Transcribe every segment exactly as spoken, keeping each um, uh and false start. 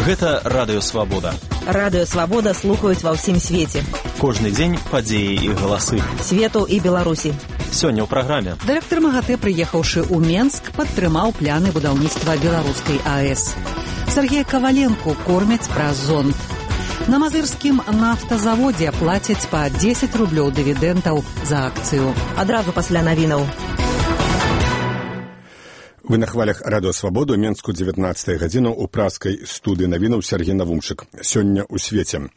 Гэта Радыё Свабода. Радыё Свабода слухаюць ва ўсім свеце. Кожны дзень падзеі і галасы. Свету і Беларусі. Сёння ў праграме. Дырэктар МАГАТЭ, прыехаўшы ў Менск, падтрымаў пляны будаўніцтва беларускай АЭС. Сергея Коваленко кормяць праз зонд. На мазырскім нафтазаводзе плацяць па дзесяць рублёў дывідэнтаў за акцыю. Адразу пасля навінаў. Вы на хвалях Радыё Свабоду, Менску, дзевятнаццатая гадзіна, у праскай студыі навінаў Сергей Навумчык. Сёння ў свеце.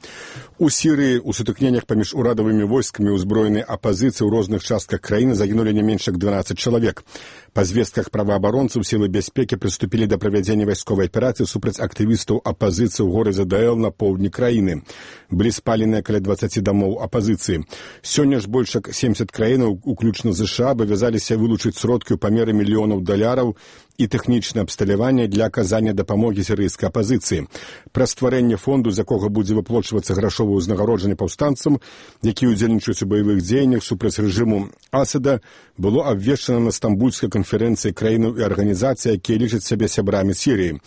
У Сірыі у сутыкненнях паміж урадавымі войскамі ўзброенай апазіцыі ў розных частках краіны загінулі не менш як дванаццаць чалавек. Па звестках праваабаронцаў сілы бяспекі прыступілі да правядзення вайсковай аперацыі супраць актывістаў апазіцыі ў горадзе Даэл на поўдні краіны. Былі спаленыя каля дваццаці дамоў апазіцыі. Сёння ж больш як семдзесят краінаў, уключна ЗША, абавязаліся вылучыць сродкі ў памеры мільёнаў даляраў і тэхнічнае абсталяванне для аказання дапамогі сірыйскай апазіцыі. Пра стварэнне фонду, з якога будзе выплачвацца грашовае ўзнагароджанне паўстанцам, якія ўдзельнічаюць у баявых дзеяннях супраць рэжыму Асада, было абвешчана на стамбульскай канферэнцыі краінаў і арганізацый, якія лічаць сябе сябрамі Сірыі.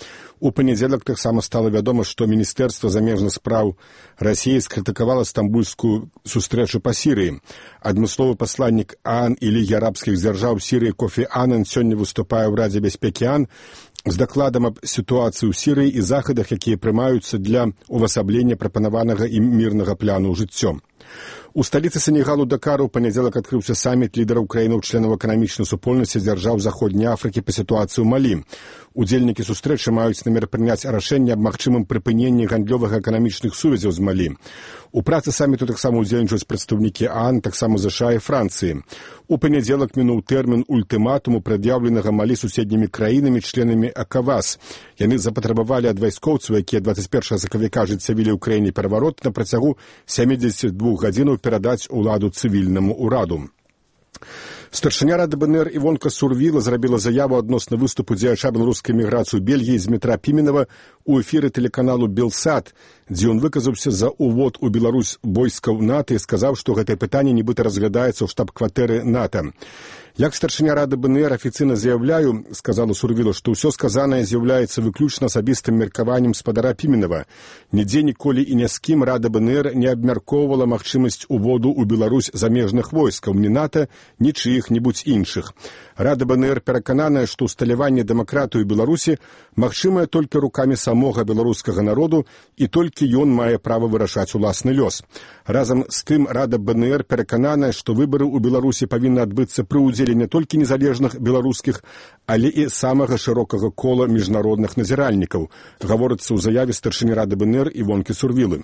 У панядзелак таксама стала вядома, што Міністэрства замежных спраў Расіі скрытыкавала стамбульскую сустрэчу па Сірыі. Адмысловы пасланнік ААН і Лігі арабскіх дзяржаў Сірыі Кофі Аннан сёння выступае ў Радзе бяспекі ААН з дакладам аб сітуацыі ў Сірыі і захадах, якія прымаюцца для увасаблення прапанаванага ім мірнага пляну ў жыццё. У сталіцы Сенегалу Дакару ў панядзелак адкрыўся саміт лідараў краінаў-членаў эканамічнай супольнасці дзяржаў Заходняй Афрыкі па сітуацыі ў Малі. Удзельнікі сустрэчы маюць намер прыняць рашэнне аб магчымым прыпыненні гандлёвых эканамічных сувязяў з Малі. У працы саміту таксама удзельнічаюць прадстаўнікі ААН, таксама ЗША і Францыі. У панядзелак мінуў тэрмін ультыматуму, прад'яўленага Малі суседнімі краінамі, членамі ЭКАВАС. Яны запатрабавалі ад вайскоўцаў, якія дваццаць першага сакавіка ажыццявілі ў краіне пераварот, на працягу сямідзесяці двух гадзінаў перадаць уладу цывільнаму ўраду. Старшыня Рады БНР Івонка Сурвіла зрабіла заяву адносна выступу дзеяча беларускай міграцыі ў Бельгіі Змітра Піменава ў эфіры тэлеканалу «Белсат», дзе ён выказаўся за ўвод у Беларусь войскаў НАТО і сказаў, што гэтае пытанне нібыта разглядаецца ў штаб-кватэры НАТО. Як старшыня Рады БНР афіцыйна заяўляю, сказала Сурвіла, што ўсё сказанае з'яўляецца выключна асабістым меркаваннем спадара Піменава. Нідзе ніколі і ні з кім Рада БНР не абмяркоўвала магчымасць уводу ў Беларусь замежных войскаў, ні НАТО, ні чыіх-небудзь іншых. Рада БНР перакананая, што ўсталяванне дэмакратыі ў Беларусі магчымае толькі рукамі самога беларускага народу і толькі ён мае права вырашаць уласны лёс. Разам з тым Рада БНР перакананая, што выбары ў Беларусі павінны адбыцца пры ўдзеле не толькі незалежных беларускіх, але і самага шырокага кола міжнародных назіральнікаў, гаворыцца ў заяве старшыні Рады БНР Івонкі Сурвілы.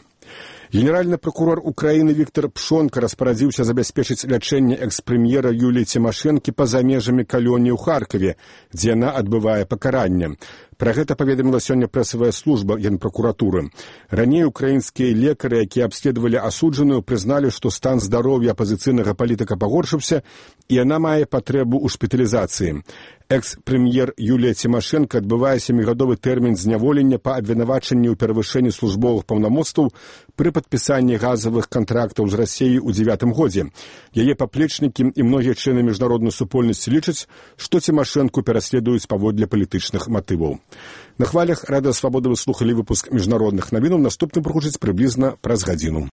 Генеральны прокурор Украіны Віктор Пшонка распарадзіўся забяспечыць лячэнне экс-прэм'ера Юліі Цімашэнкі па-за межамі калоніі ў Харкаве, дзе яна адбывае пакаранне. Пра гэта паведаміла сёння прэсавая служба Генпракуратуры. Раней украінскія лекары, якія абследавалі асуджаную, прызналі, што стан здароўя апазіцыйнага палітыка пагоршыўся, і яна мае патрэбу ў шпіталізацыі. Экс-прэм'ер Юлія Цімашэнка адбывае сямігадовы тэрмін зняволення па абвінавачанні ў перавышэнні службовых паўнамоцтваў пры падпісанні газавых кантрактаў з Расіяй у дзевятым годзе. Яе паплечнікі і многія члены міжнароднай супольнасці лічаць, што Цімашэнку пераследуюць паводле палітычных матываў. На хвалях Радыё Свабода вы слухалі выпуск міжнародных навінаў. Наступны прагучыць прыблізна праз гадзіну.